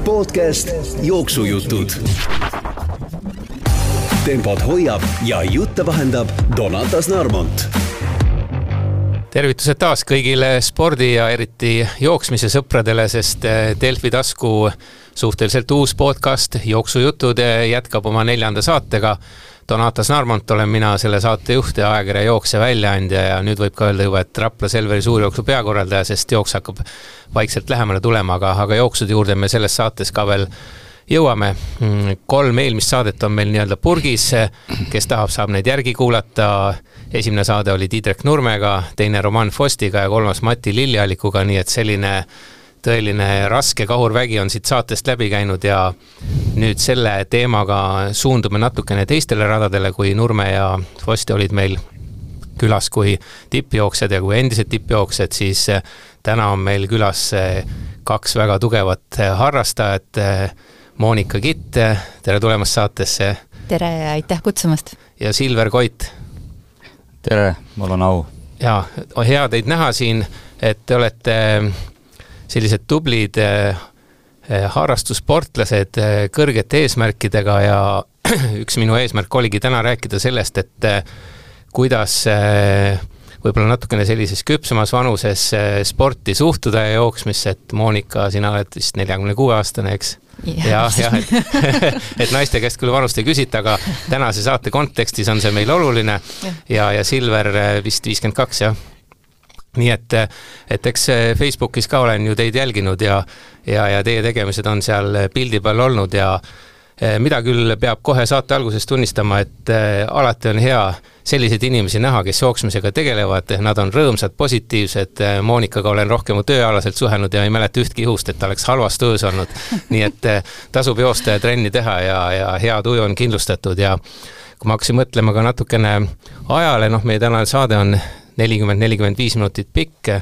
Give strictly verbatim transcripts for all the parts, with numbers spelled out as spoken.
Podcast Jooksujutud. Tempot hoiab ja jutte vahendab Donatas Narmont. Tervitused taas kõigile spordi ja eriti jooksmise sõpradele, sest Delfi tasku suhteliselt uus podcast Jooksujutud jätkab oma neljanda saatega. Donatas Narmont olen mina selle saate juht ja ajakirja Jookse väljaandja ja nüüd võib ka öelda juba, et Rapla Selveri suurjooksu peakorraldaja, sest jooks hakkab vaikselt lähemale tulema, aga, aga jooksude juurde me selles saates ka veel jõuame. Kolm eelmist saadet on meil nii-öelda purgis, kes tahab, saab neid järgi kuulata. Esimene saade oli Tiidrek Nurmega, teine Roman Fostiga ja kolmas Mati Lilliallikuga, nii et selline tõeline raske kahurvägi on siit saatest läbi käinud ja nüüd selle teemaga suundume natukene teistele radadele, kui Nurme ja Fosti olid meil külas kui tippjooksjad ja kui endised tippjooksjad, siis täna on meil külas kaks väga tugevat harrastajat. Monika Kitt, tere tulemast saatesse. Tere ja aitäh kutsumast. Ja Silver Koit. Tere, mul on au. Ja, hea teid näha siin, et te olete sellised tublid harrastussportlased kõrgete eesmärkidega ja üks minu eesmärk oligi täna rääkida sellest, et kuidas võib-olla natukene sellises küpsemas vanuses sporti suhtuda ja jooksmisse, et Monika, sina oled vist nelikümmend kuus aastane, eks? Ja, ja, et, et naiste käest küll vanust ei küsita, aga tänase saate kontekstis on see meil oluline ja, ja Silver vist viiskümmend kaks, jah. Nii et, et eks Facebookis ka olen ju teid jälginud ja, ja, ja teie tegemised on seal pildi peal olnud ja mida küll peab kohe saate alguses tunnistama, et alati on hea selliseid inimesi näha, kes jooksmisega tegelevad, nad on rõõmsad, positiivsed. Monikaga olen rohkem tööalaselt suhelnud ja ei mäleta ühtki juhust, et ta oleks halvas töös olnud. Nii et tasub joosta ja trenni teha ja, ja hea tuju on kindlustatud ja kui ma hakkasin mõtlema ka natukene ajale, noh meie tänane saade on nelikümmend nelikümmend viis minutit pikk,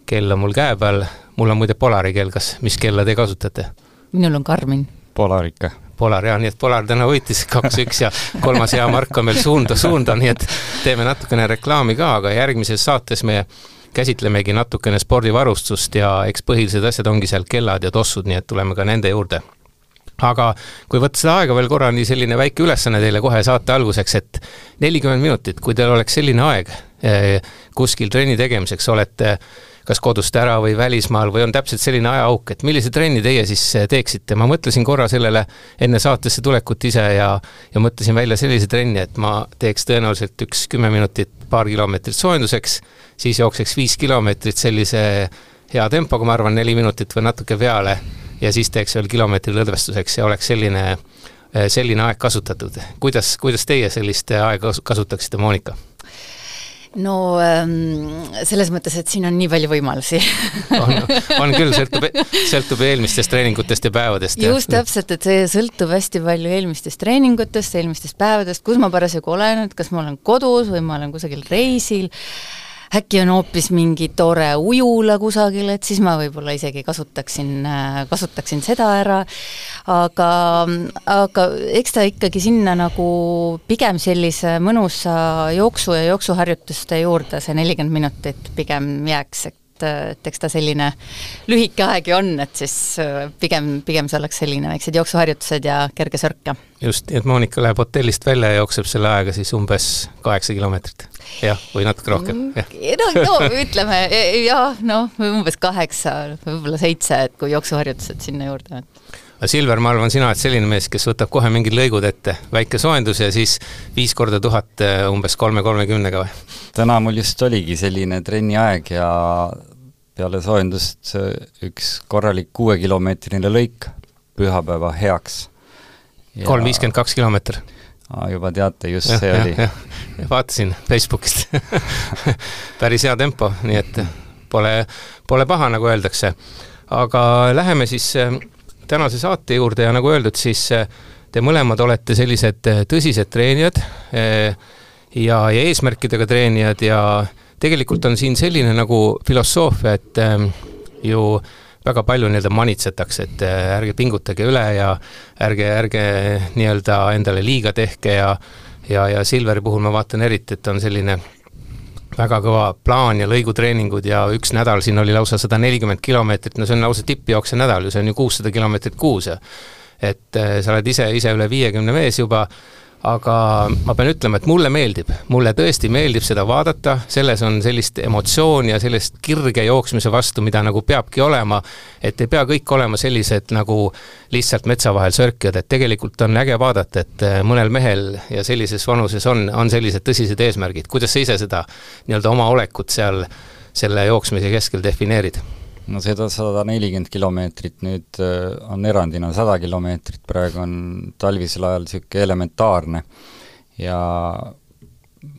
kell on mul käe peal, mul on muide Polari kell, kas mis kella te kasutate? Minul on Karmin. Polar ikka. Polar, jah, nii et Polar täna võitis kaks üks ja kolmas hea Mark on meil suunda suunda, nii et teeme natukene reklaami ka, aga järgmises saates me käsitlemegi natukene spordivarustust ja eks põhilised asjad ongi seal kellad ja tossud, nii et tuleme ka nende juurde. Aga kui võtta seda aega veel korra, nii selline väike ülesanne teile kohe saate alguseks, et nelikümmend minutit, kui teil oleks selline aeg kuskil trenni tegemiseks, olete kas kodust ära või välismaal või on täpselt selline ajaauk, et millise trenni teie siis teeksite? Ma mõtlesin korra sellele enne saatesse tulekut ise ja, ja mõtlesin välja sellise trenni, et ma teeks tõenäoliselt üks kümme minutit paar kilomeetrit soojenduseks, siis jookseks viis kilomeetrit sellise hea tempoga, ma arvan neli minutit või natuke peale ja siis teeks veel kilomeetri lõdvestuseks ja oleks selline, selline aeg kasutatud. Kuidas, kuidas teie sellist aega kasutaksite, Monika? No selles mõttes, et siin on nii palju võimalusi. on, on küll, sõltub, sõltub eelmistest treeningutest ja päevadest. Just ja. Täpselt, et see sõltub hästi palju eelmistest treeningutest, eelmistest päevadest, kus ma parasjagu olen, kas ma olen kodus või ma olen kusagil reisil. Äkki on hoopis mingi tore ujula kusagil, et siis ma võib-olla isegi kasutaksin, kasutaksin seda ära, aga, aga eks ta ikkagi sinna nagu pigem sellise mõnusa jooksu ja jooksuharjutuste juurde see nelikümmend minutit pigem jääks, et, et eks ta selline lühike aegi on, et siis pigem, pigem see oleks selline väiksed jooksuharjutused ja kerge sörka. Just, et Monika läheb hotellist välja ja jookseb selle aega siis umbes kaheksa kilomeetrit. Jah, või natuke rohkem. No, no ütleme, jah, no umbes kaheksa, võib-olla seitse, et kui jooksuharjutused sinna juurde on. Silver, ma arvan, sina oled selline mees, kes võtab kohe mingid lõigud ette, väike soojendus ja siis viis korda tuhat umbes kolme kolmekümnega või? Täna mul just oligi selline trenni aeg ja peale soojendust üks korralik kuue kilomeetrine lõik pühapäeva heaks. Ja... kolm viiskümmend kaks kilomeeter. Aa, juba teate, just ja, see ja, oli. Ja. Vaatasin Facebookist. Päris hea tempo, nii et pole, pole paha, nagu öeldakse. Aga läheme siis tänase saate juurde ja nagu öeldud, siis te mõlemad olete sellised tõsised treenijad ja, ja eesmärkidega treenijad ja tegelikult on siin selline nagu filosoofia, et ju väga palju nii-öelda manitsetakse, et ärge pingutage üle ja ärge, ärge nii-öelda endale liiga tehke ja, ja, ja Silveri puhul ma vaatan eriti, et on selline väga kõva plaan ja lõigutreeningud ja üks nädal siin oli lausa sada nelikümmend kilomeetrit, no see on lausa tippjookse nädal ju, see on ju kuussada kilomeetrit kuus. Et sa oled ise, ise üle viiekümne mees juba, aga ma pean ütlema, et mulle meeldib, mulle tõesti meeldib seda vaadata, selles on sellist emotsiooni ja sellist kirge jooksmise vastu, mida nagu peabki olema, et ei pea kõik olema sellised nagu lihtsalt metsa vahel sörkijad, et tegelikult on äge vaadata, et mõnel mehel ja sellises vanuses on, on sellised tõsised eesmärgid. Kuidas sa ise seda nii-öelda oma olekut seal selle jooksmise keskel defineerid? No seda sada nelikümmend kilomeetrit nüüd on erandina sada kilomeetrit, praegu on talvisel ajal niisugune elementaarne ja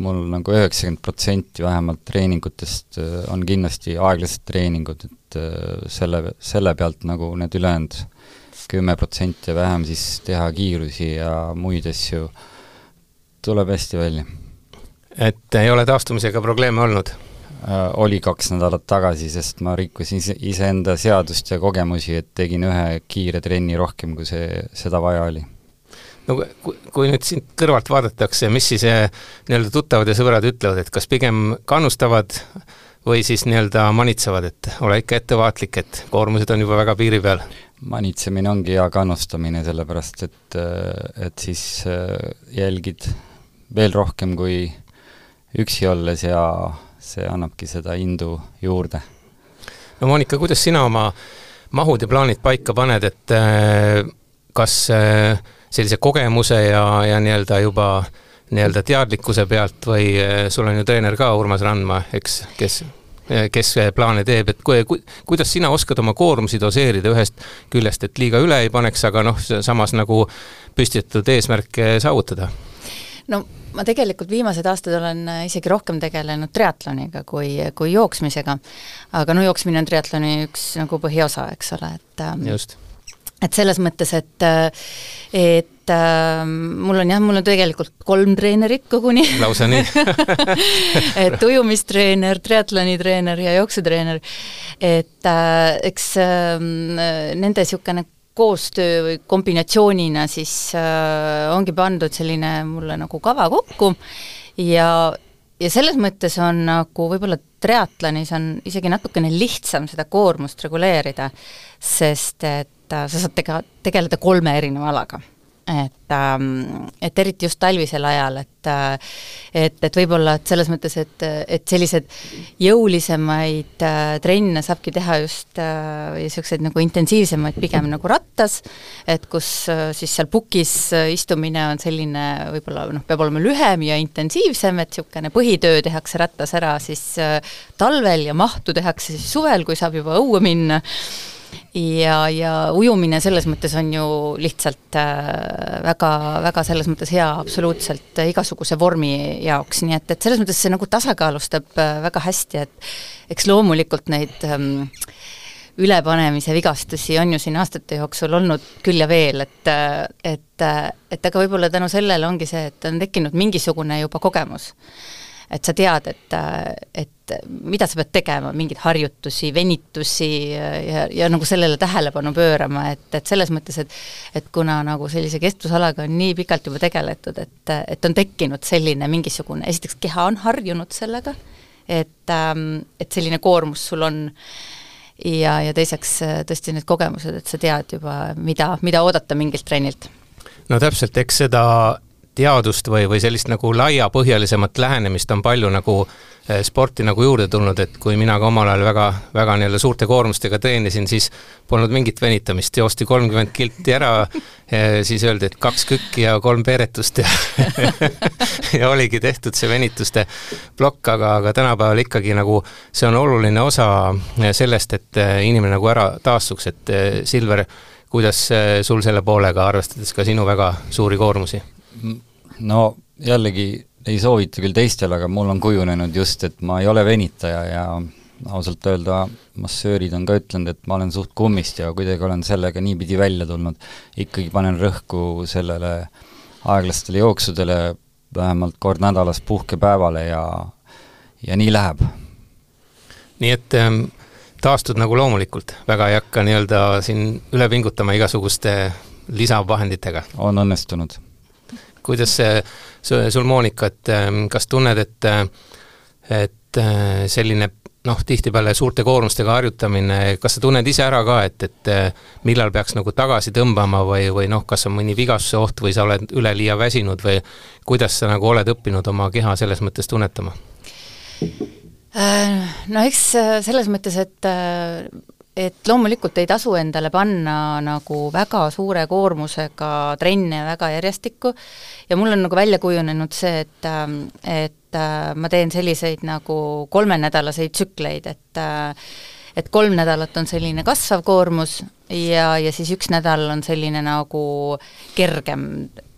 mul nagu üheksakümmend protsenti vähemalt treeningutest on kindlasti aeglased treeningud, et selle, selle pealt nagu need ülejäänud kümme protsenti ja vähem siis teha kiirusi ja muid asju tuleb hästi välja. Et ei ole taastumisega probleeme olnud? Oli kaks nädalat tagasi, sest ma rikkusin ise, iseenda seadust ja kogemusi, et tegin ühe kiire trenni rohkem, kui see, seda vaja oli. No kui, kui nüüd sind kõrvalt vaadatakse, mis siis nii-öelda tuttavad ja sõbrad ütlevad, et kas pigem kannustavad või siis nii-öelda manitsevad, et ole ikka ettevaatlik, et koormused on juba väga piiri peal? Manitsemine ongi hea kannustamine, sellepärast et, et siis jälgid veel rohkem kui üksi olles ja see annabki seda indu juurde. No Monika, kuidas sina oma mahud ja plaanid paika paned, et kas sellise kogemuse ja, ja nii-öelda juba nii-öelda teadlikkuse pealt või sul on ju treener ka Urmas Randma, eks, kes, kes plaane teeb, et ku, ku, kuidas sina oskad oma koormusi doseerida ühest küljest, et liiga üle ei paneks, aga noh, samas nagu püstitatud eesmärke saavutada? No ma tegelikult viimased aastad olen isegi rohkem tegelenud triatloniga kui, kui jooksmisega, aga no jooksmine on triatloni üks nagu põhiosa, eks ole, et, Just. et selles mõttes, et, et mul on jah, mul on tegelikult kolm treenerit koguni. Lausa nii. et ujumistreener, triatlonitreener ja jooksutreener, et eks nende niisugune koostöö või kombinatsioonina siis äh, ongi pandud selline mulle nagu kava kokku ja, ja selles mõttes on nagu võib-olla triatlonis on isegi natukene lihtsam seda koormust reguleerida, sest et äh, sa saad tega, tegeleda kolme erineva alaga. Et, ähm, et eriti just talvisel ajal, et, et, et võib-olla et selles mõttes, et, et sellised jõulisemaid äh, trenne saabki teha just äh, ja sellised nagu intensiivsemaid pigem nagu rattas, et kus äh, siis seal pukis äh, istumine on selline võib-olla noh, peab olema lühem ja intensiivsem, et niisugune põhitöö tehakse rattas ära siis äh, talvel ja mahtu tehakse siis suvel, kui saab juba õue minna. Ja, ja ujumine selles mõttes on ju lihtsalt äh, väga, väga selles mõttes hea absoluutselt igasuguse vormi jaoks, nii et, et selles mõttes see nagu tasakaalustab äh, väga hästi, et eks loomulikult neid ähm, ülepanemise vigastusi on ju siin aastate jooksul olnud küll ja veel, et, et, et aga võib-olla tänu sellele ongi see, et on tekkinud mingisugune juba kogemus. Et sa tead, et, et mida sa pead tegema, mingeid harjutusi, venitusi ja, ja nagu sellele tähelepanu pöörama, et, et selles mõttes, et, et kuna nagu sellise kestvusalaga on nii pikalt juba tegeletud, et, et on tekkinud selline mingisugune, esiteks keha on harjunud sellega, et, et selline koormus sul on ja, ja teiseks tõesti need kogemused, et sa tead juba, mida, mida oodata mingilt trennilt. No täpselt, eks seda teadust või, või sellist nagu laiapõhjalisemat lähenemist on palju nagu sporti nagu juurde tulnud, et kui mina ka omal ajal väga, väga nii-öelda suurte koormustega treenisin, siis polnud mingit venitamist, joosti kolmkümmend kilti ära, siis öeldi, et kaks kükki ja kolm peeretust ja, ja oligi tehtud see venituste plokk, aga, aga tänapäeval ikkagi nagu see on oluline osa sellest, et inimene nagu ära taastuks, et Silver, kuidas sul selle poolega, arvestades ka sinu väga suuri koormusi? No jällegi ei soovita küll teistel, aga mul on kujunenud just, et ma ei ole venitaja ja ausalt öelda massöörid on ka ütlenud, et ma olen suht kummist ja kuidagi olen sellega niipidi välja tulnud. Ikkagi panen rõhku sellele aeglastele jooksudele vähemalt kord nädalas puhkepäevale ja, ja nii läheb. Nii et ähm, taastud nagu loomulikult, väga ei hakka nii-öelda siin üle pingutama igasuguste lisavahenditega. On õnnestunud. Kuidas see, sul Monika, et kas tunned, et, et et selline noh, tihtipeale suurte koormustega harjutamine, kas sa tunned ise ära ka, et, et millal peaks nagu tagasi tõmbama või, või noh, kas on mõni vigastuse oht või sa oled üleliia väsinud või kuidas sa nagu oled õppinud oma keha selles mõttes tunnetama? No eks selles mõttes, et et loomulikult ei tasu endale panna nagu väga suure koormusega trenne väga järjestikku ja mul on nagu välja kujunenud see, et, et ma teen selliseid nagu kolmenädalaseid tsükleid, et et kolm nädalat on selline kasvav koormus ja, ja siis üks nädal on selline nagu kergem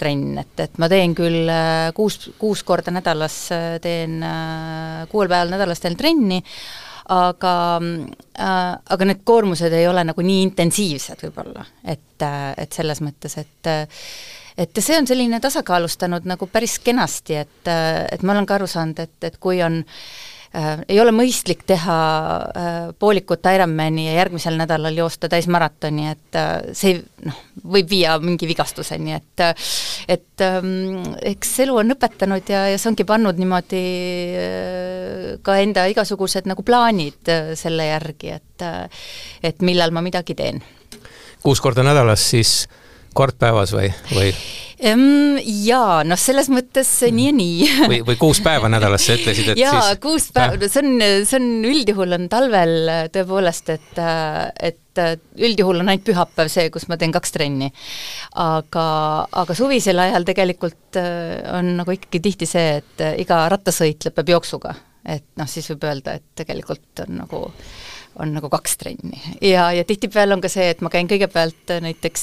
trenn, et, et ma teen küll kuus, kuus korda nädalas, teen kuuel päeval nädalas teen trenni, aga, äh, aga need koormused ei ole nagu nii intensiivsed võib-olla, et, et selles mõttes, et et see on selline tasakaalustanud nagu päris kenasti, et, et ma olen ka aru saanud, et, et kui on äh, ei ole mõistlik teha äh, poolikut Ironmani ja järgmisel nädalal joosta täismaratoni, et äh, see noh, võib viia mingi vigastuseni, et et ähm, eks elu on õpetanud ja, ja see ongi pannud niimoodi äh, ka enda igasugused nagu plaanid äh, selle järgi, et äh, et millal ma midagi teen. Kuus korda nädalas siis kord päevas või, või? Um, jaa, noh selles mõttes nii ja nii. või, või kuus päeva nädalas sa ütlesid, et jaa, siis... kuus päeva, no see on, see on üldjuhul on talvel tõepoolest, et, et üldjuhul on ainult pühapäev see, kus ma teen kaks trenni. Aga, aga suvisel ajal tegelikult on nagu ikkagi tihti see, et iga rattasõit lõpeb jooksuga. Et noh, siis võib öelda, et tegelikult on nagu on nagu kaks trenni. Ja, ja tihtipeale on ka see, et ma käin kõigepealt näiteks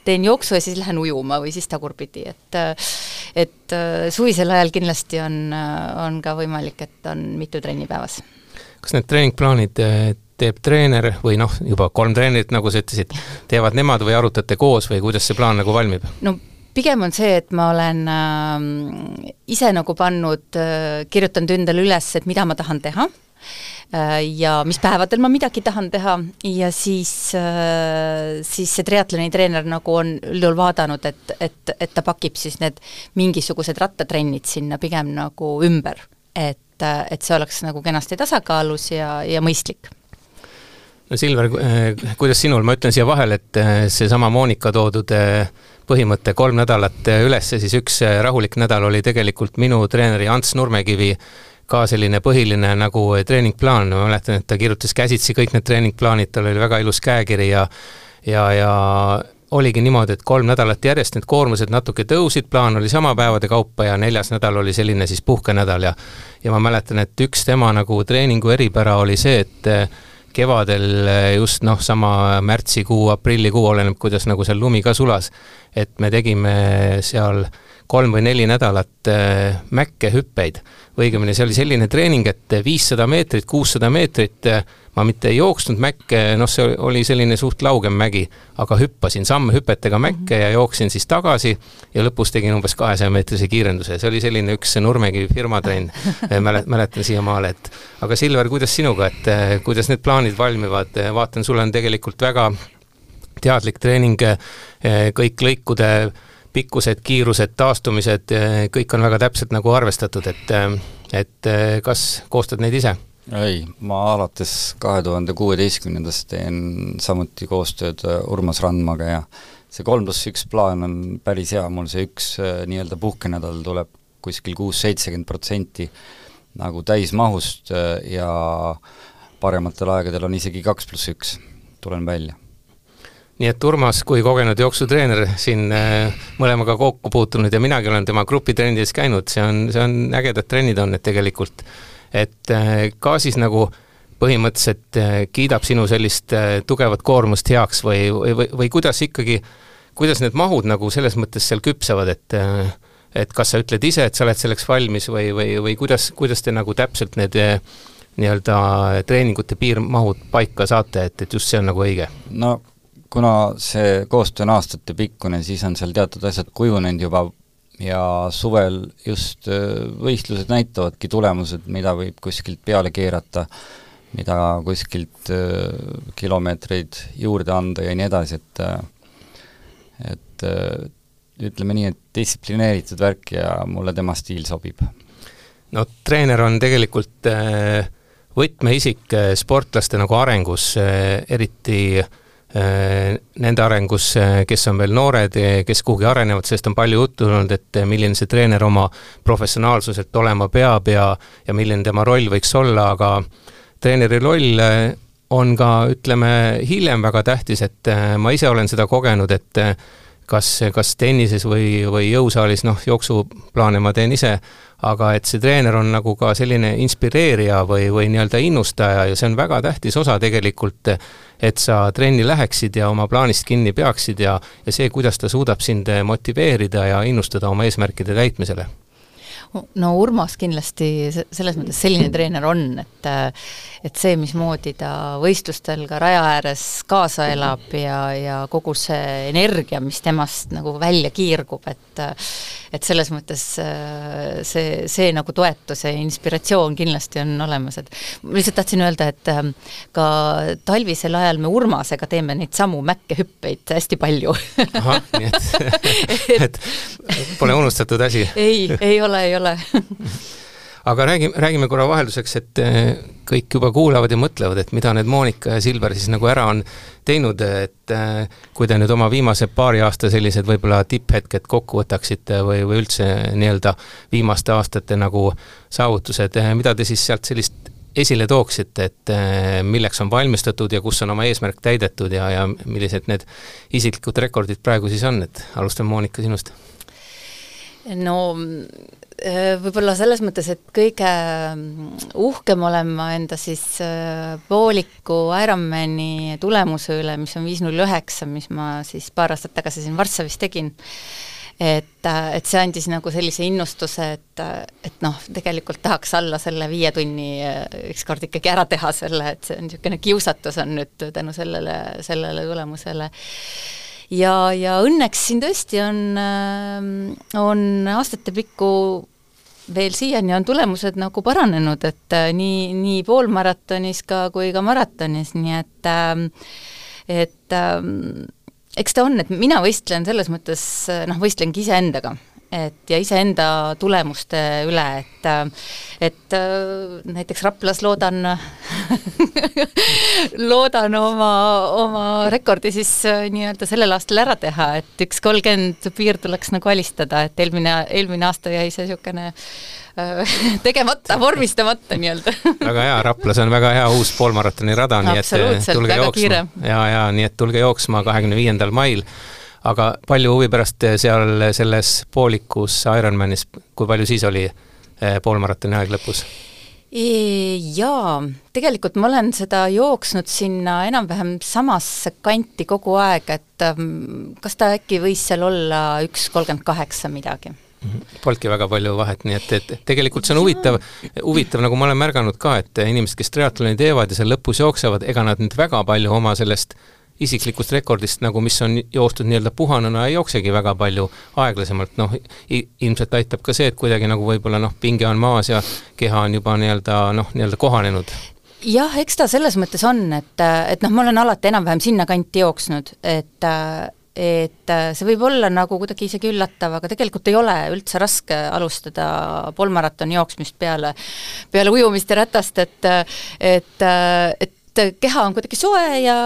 teen jooksu ja siis lähen ujuma või siis tagurpidi, et, et suvisel ajal kindlasti on, on ka võimalik, et on mitu trenni päevas. Kas need treeningplaanid teeb treener või noh, juba kolm treenerit, nagu sa ütlesid, teevad nemad või arutate koos või kuidas see plaan nagu valmib? No pigem on see, et ma olen äh, ise nagu pannud äh,, kirjutanud endale üles, et mida ma tahan teha ja mis päevadel ma midagi tahan teha ja siis, siis see triatloni treener nagu on üldjuhul vaadanud, et, et, et ta pakib siis need mingisugused rattatrennid sinna pigem nagu ümber, et, et see oleks nagu kenasti tasakaalus ja, ja mõistlik. No Silver, kuidas sinul, ma ütlen siia vahel, et see sama Monika toodud põhimõte kolm nädalat üles, siis üks rahulik nädal oli tegelikult minu treeneri Ants Nurmekivi ka selline põhiline nagu treeningplaan, ma mäletan, et ta kirjutas käsitsi kõik need treeningplaanid, tal oli väga ilus käekiri ja ja, ja oligi niimoodi, et kolm nädalat järjest need koormused natuke tõusid, plaan oli sama päevade kaupa ja neljas nädal oli selline siis puhkenädal ja ja ma mäletan, et üks tema nagu treeningu eripära oli see, et kevadel just noh, sama märtsikuu, aprillikuu oleneb, kuidas nagu seal lumi ka sulas, et me tegime seal kolm või neli nädalat äh, mäkke hüppeid. Õigemini see oli selline treening, et viissada meetrit, kuussada meetrit, äh, ma mitte ei jooksnud mäkke, noh see oli selline suht laugem mägi, aga hüppasin samme hüpetega mäkke ja jooksin siis tagasi ja lõpus tegin umbes kahesaja meetrise kiirenduse. See oli selline üks Nurmegi firmatrenn, mäletan siiamaale, et aga Silver, kuidas sinuga, et äh, kuidas need plaanid valmivad? Vaatan, sul on tegelikult väga teadlik treening, äh, kõik lõikude pikkused, kiirused, taastumised, kõik on väga täpselt nagu arvestatud, et, et kas koostad neid ise? Ei, ma alates kahe tuhande kuueteistkümnendast teen samuti koostööd Urmas Randmaga ja see kolm pluss üks plaan on päris hea, mul see üks nii-öelda puhkenädal tuleb kuskil kuus seitsekümmend protsenti nagu täismahust ja parematel aegadel on isegi kaks pluss üks, tulen välja. Nii et Urmas, kui kogenud jooksutreener siin äh, mõlemaga kokku puutunud ja minagi olen tema grupitrendides käinud, see on, see on ägedad trennid on need tegelikult, et äh, ka siis nagu põhimõtteliselt äh, kiidab sinu sellist äh, tugevat koormust heaks või, või, või, või kuidas ikkagi, kuidas need mahud nagu selles mõttes seal küpsevad, et äh, et kas sa ütled ise, et sa oled selleks valmis või, või, või kuidas, kuidas te nagu täpselt need äh, nii-öelda treeningute piirmahud paika saate, et, et just see on nagu õige? No kuna see koostöö on aastate pikkune, siis on seal teatud asjad kujunenud juba ja suvel just võistlused näitavadki tulemused, mida võib kuskilt peale keerata, mida kuskilt kilomeetreid juurde anda ja nii edasi, et et ütleme nii, et distsiplineeritud värk ja mulle tema stiil sobib. no treener on tegelikult võtmeisik sportlaste nagu arengus, eriti nende arengus, kes on veel noored, kes kuhugi arenevad, sest on palju juttu olnud, et milline see treener oma professionaalsuselt olema peab ja, ja milline tema roll võiks olla, aga treeneri roll on ka, ütleme, hiljem väga tähtis, et ma ise olen seda kogenud, et kas, kas tennises või, või jõusaalis, noh, jooksuplaane ma teen ise, aga et see treener on nagu ka selline inspireerija või, või nii-öelda innustaja ja see on väga tähtis osa tegelikult, et sa trenni läheksid ja oma plaanist kinni peaksid ja, ja see, kuidas ta suudab sind motiveerida ja innustada oma eesmärkide täitmisele. No Urmas kindlasti selles mõttes selline treener on, et, et see, mismoodi ta võistlustel ka raja ääres kaasa elab ja, ja kogu see energia, mis temast nagu välja kiirgub, et, et selles mõttes see, see nagu toetus ja inspiratsioon kindlasti on olemas. Et ma lihtsalt tahtsin öelda, et ka talvisel ajal me Urmasega teeme neid samu mäkkehüppeid hästi palju. Aha, nii et, et pole unustatud asi. Ei, ei ole, ei ole. Aga räägime, räägime korra vahelduseks, et kõik juba kuulavad ja mõtlevad, et mida need Monika ja Silver siis nagu ära on teinud, et kui te nüüd oma viimase paari aasta sellised võib-olla tipphetked kokku võtaksite või, või üldse nii-öelda viimaste aastate nagu saavutused, mida te siis sealt sellist esile tooksite, et milleks on valmistatud ja kus on oma eesmärk täidetud ja, ja millised need isiklikud rekordid praegu siis on, et alustame Monika sinust. No võib-olla selles mõttes, et kõige uhkem olen ma enda siis pooliku Ironmani tulemuse üle, mis on viis null üheksa, mis ma siis paar aastat tagasi siin Varssavis tegin. Et, et see andis nagu sellise innustuse, et, et noh, tegelikult tahaks alla selle viie tunni ükskord ikkagi ära teha selle, et see on niisugune kiusatus on nüüd tänu sellele, sellele tulemusele. Ja, ja õnneks siin tõesti on, on aastate pikku veel siiani on tulemused nagu paranenud, et nii, nii poolmaratonis ka kui ka maratonis, nii et, et eks ta on, et mina võistlen selles mõttes, noh, võistlengi iseendaga. Et ja iseenda tulemuste üle, et, et näiteks Raplas loodan loodan oma, oma rekordi siis nii-öelda sellel aastal ära teha, et üks kolmkümmend piir tuleks nagu alistada, et eelmine, eelmine aasta jäi see niisugune tegemata, vormistamata nii-öelda. Väga hea, Raplas on väga hea uus poolmaratoni rada, nii et tulge jooksma. Ja, ja, nii et tulge jooksma kahekümne viiendal mail. Aga palju huvi pärast seal selles poolikus Ironmanis, kui palju siis oli poolmaratoni aeg lõpus? Jaa, tegelikult ma olen seda jooksnud sinna enam-vähem samasse kanti kogu aeg, et kas ta äkki võis seal olla üks kolmkümmend kaheksa midagi? Polki väga palju vahet, nii et, et tegelikult see on huvitav, huvitav, nagu ma olen märganud ka, et inimesed, kes triatloni teevad ja seal lõpus jooksevad, ega nad nüüd väga palju oma sellest isiklikust rekordist, nagu mis on joostud nii-öelda puhanuna, ei jooksegi väga palju aeglasemalt, noh, ilmselt aitab ka see, et kuidagi nagu võib-olla noh, pinge on maas ja keha on juba nii-öelda, noh, nii-öelda kohanenud. Jah, eks ta selles mõttes on, et, et noh, ma olen alati enam-vähem sinna kanti jooksnud, et et see võib olla nagu kuidagi isegi üllatav, aga tegelikult ei ole üldse raske alustada poolmaratoni jooksmist peale, peale ujumist ja ratast, et, et, et keha on kuidagi soe ja,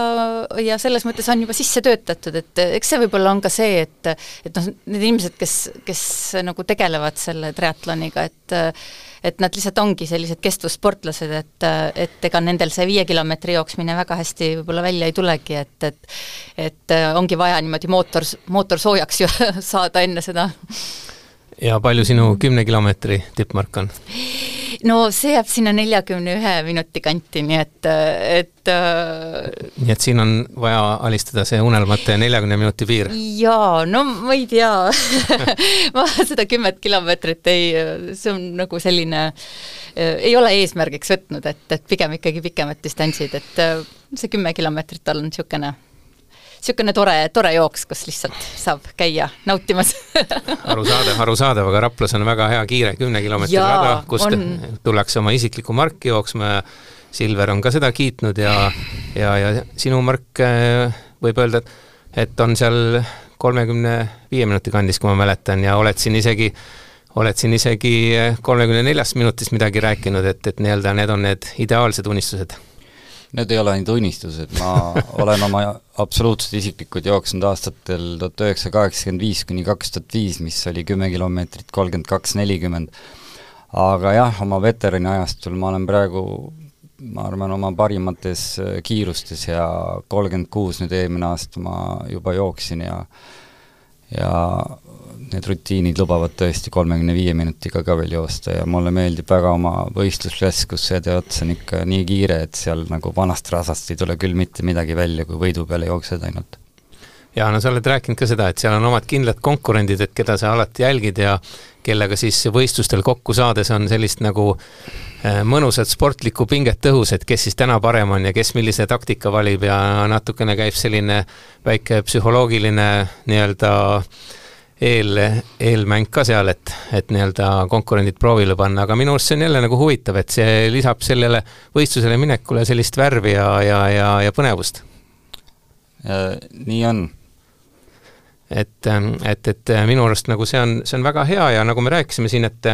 ja selles mõttes on juba sisse töötatud, et eks see võib-olla on ka see, et, et noh, need inimesed, kes, kes nagu tegelevad selle triatloniga, et, et nad lihtsalt ongi sellised kestvussportlased, et, et ega nendel see viie kilomeetri jooksmine väga hästi võib-olla välja ei tulegi, et, et, et ongi vaja niimoodi mootor, mootor soojaks ju saada enne seda. Ja palju sinu kümne kilomeetri tippmark on? No see jääb sinna neljakümne ühe minuti kanti, nii et, et nii et siin on vaja alistada see unelmate neljakümne minuti piir. Jaa, no ma ei tea ma seda kümmet kilomeetrit ei, see on nagu selline ei ole eesmärgiks võtnud, et, et pigem ikkagi pikemad distantsid, et see kümme kilomeetrit on niisugune niisugune tore, tore jooks, kus lihtsalt saab käia nautimas arusaadav, arusaadav, aga Raplas on väga hea kiire kümne kilomeetri rada, kust on... tullakse oma isikliku marki jooksma ja Silver on ka seda kiitnud ja, ja, ja sinu mark võib öelda, et on seal kolmekümne viie minuti kandis, kui ma mäletan, ja oled siin isegi oled siin isegi kolmekümne neljast minutist midagi rääkinud, et, et nii-öelda need on need ideaalsed unistused. Need ei ole ainult unistused, ma olen oma absoluutselt isiklikud jooksnud aastatel tuhat üheksasada kaheksakümmend viis kuni kaks tuhat viis, mis oli kümme kilomeetrit, kolmkümmend kaks nelikümmend. Aga jah, oma veterani ajastul ma olen praegu, ma arvan, oma parimates kiirustes ja kolmkümmend kuus nüüd eelmine aasta ma juba jooksin ja ja need rutiinid lubavad tõesti kolmekümne viie minutiga ka veel joosta ja mulle meeldib väga oma võistlusklass, kus see teots on ikka nii kiire, et seal nagu vanast rasast ei tule küll mitte midagi välja, kui võidu peale jooksed ainult. Ja no sa oled rääkinud ka seda, et seal on omad kindlad konkurendid, et keda sa alati jälgid ja kellega siis võistlustel kokku saades on sellist nagu mõnusat sportlikku pinget õhus, et kes siis täna parem on ja kes millise taktika valib ja natukene käib selline väike psühholoogiline nii-öelda eel, eelmäng ka seal, et, et nii-öelda konkurendid proovile panna, aga minu arust see on jälle nagu huvitav, et see lisab sellele võistlusele minekule sellist värvi ja, ja, ja, ja põnevust. Ja, nii on. Et, et, et minu arust nagu see on, see on väga hea ja nagu me rääkisime siin, et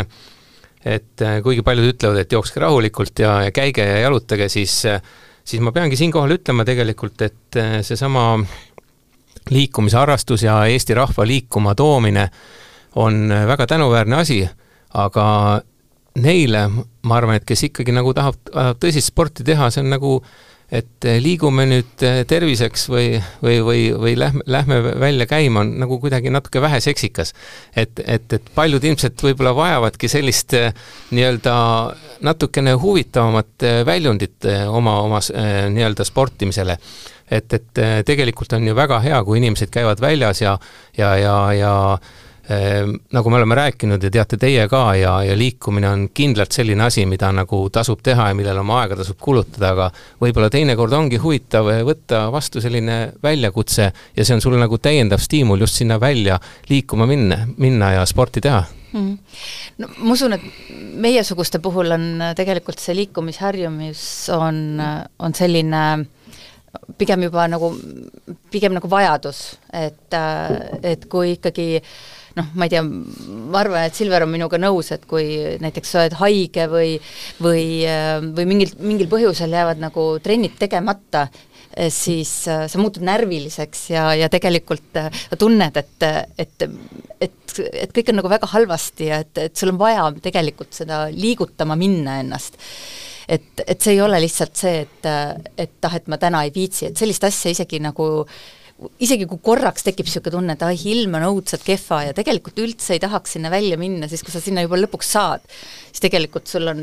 et kuigi paljud ütlevad, et jookske rahulikult ja, ja käige ja jalutage, siis, siis ma peangi siinkohal ütlema tegelikult, et see sama liikumisharrastus ja Eesti rahva liikuma toomine on väga tänuväärne asi, aga neile, ma arvan, et kes ikkagi nagu tahab, tahab tõsist sporti teha, see on nagu, et liigume nüüd terviseks või, või, või, või lähme, lähme välja käima, on nagu kuidagi natuke vähe seksikas. Et, et, et paljud ilmselt võib-olla vajavadki sellist nii-öelda natukene huvitavamat väljundit oma, oma nii-öelda sportimisele. Et, et tegelikult on ju väga hea, kui inimesed käivad väljas ja, ja, ja, ja eh, nagu me oleme rääkinud ja teate teie ka ja, ja liikumine on kindlalt selline asi, mida nagu tasub teha ja millel oma aega tasub kulutada, aga võib-olla teinekord ongi huvitav võtta vastu selline väljakutse ja see on sul nagu täiendav stiimul just sinna välja liikuma minna, minna ja sporti teha. Mm. No, ma usun, et meiesuguste puhul on tegelikult see liikumisharjumus on, on selline pigem juba nagu, pigem nagu vajadus, et, et kui ikkagi, noh, ma ei tea, ma arvan, et Silver on minuga nõus, et kui näiteks sa oled haige või, või, või mingil, mingil põhjusel jäävad nagu trennid tegemata, siis sa muutud närviliseks ja, ja tegelikult tunned, et, et, et, et kõik on nagu väga halvasti ja et, et sul on vaja tegelikult seda liigutama minna ennast. Et, et see ei ole lihtsalt see, et, et ah, et ma täna ei viitsi, et sellist asja isegi nagu, isegi kui korraks tekib niisugune tunne, et ah, ilm on õudselt kehva ja tegelikult üldse ei tahaks sinna välja minna, siis kui sa sinna juba lõpuks saad, siis tegelikult sul on,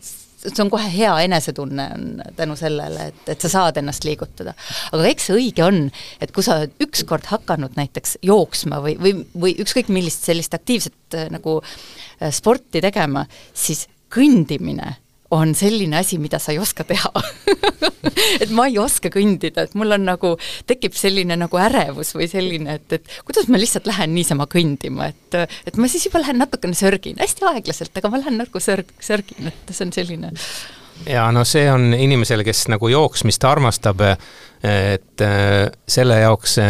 see on kohe hea enesetunne on tänu sellele, et, et sa saad ennast liigutada. Aga eks see õige on, et kui sa oled ükskord hakanud näiteks jooksma või, või, või ükskõik millist sellist aktiivset nagu sporti tegema, siis kõndimine on selline asi, mida sa ei oska teha. et ma ei oska kõndida, et mul on nagu, tekib selline nagu ärevus või selline, et, et kuidas ma lihtsalt lähen niisama kõndima, et, et ma siis juba lähen natukene sörgin, hästi aeglaselt, aga ma lähen nagu sörg, sörgin, et see on selline. Ja no see on inimesele, kes nagu jooksmist armastab, et selle jaoks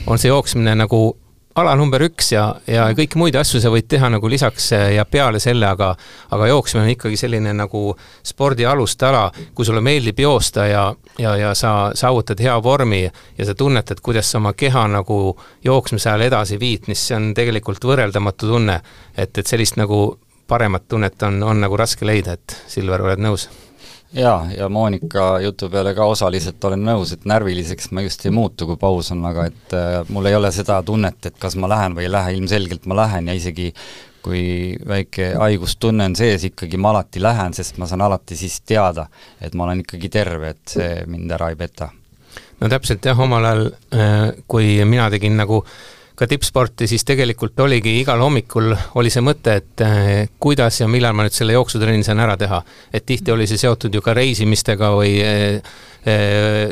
on see jooksmine nagu ala number üks ja, ja kõiki muid asju sa võid teha nagu lisaks ja peale selle, aga, aga jooksmine on ikkagi selline nagu spordi alustala, kui sulle meeldib joosta ja, ja, ja sa saavutad hea vormi ja sa tunnetad, kuidas sa oma keha nagu jooksmise ajal edasi viid, mis see on tegelikult võrreldamatu tunne, et, et sellist nagu paremat tunnet on, on nagu raske leida, et Silver, oled nõus? Jaa, ja Moonika jutu peale ka osaliselt olen nõus, et närviliseks ma just ei muutu, kui paus on, aga et äh, mul ei ole seda tunnet, et kas ma lähen või ei lähe, ilmselgelt ma lähen ja isegi kui väike haigustunne on sees, ikkagi ma alati lähen, sest ma saan alati siis teada, et ma olen ikkagi terve, et see mind ära ei peta. No täpselt jah, omal ajal, kui mina tegin nagu ka tippsporti, siis tegelikult oligi igal hommikul oli see mõte, et eh, kuidas ja millal ma nüüd selle jooksutrenni saan ära teha. Et tihti oli see seotud ju ka reisimistega või eh, eh,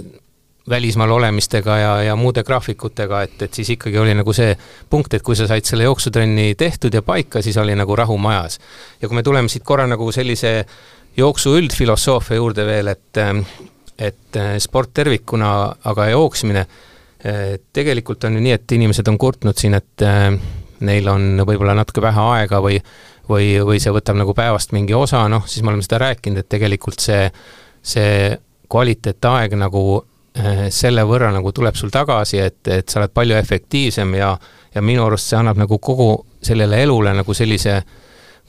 välismaal olemistega ja, ja muude graafikutega, et, et siis ikkagi oli nagu see punkt, et kui sa said selle jooksutrenni tehtud ja paika, siis oli nagu rahu majas. Ja kui me tuleme siit korra nagu sellise jooksu üldfilosoofia juurde veel, et, et sport tervikuna, aga jooksmine, tegelikult on ju nii, et inimesed on kurtnud siin, et neil on võib-olla natuke vähe aega või, või, või see võtab nagu päevast mingi osa, noh, siis me oleme seda rääkinud, et tegelikult see, see kvaliteetaeg nagu äh, selle võrra nagu tuleb sul tagasi, et, et sa oled palju efektiivsem ja, ja minu arust see annab nagu kogu sellele elule nagu sellise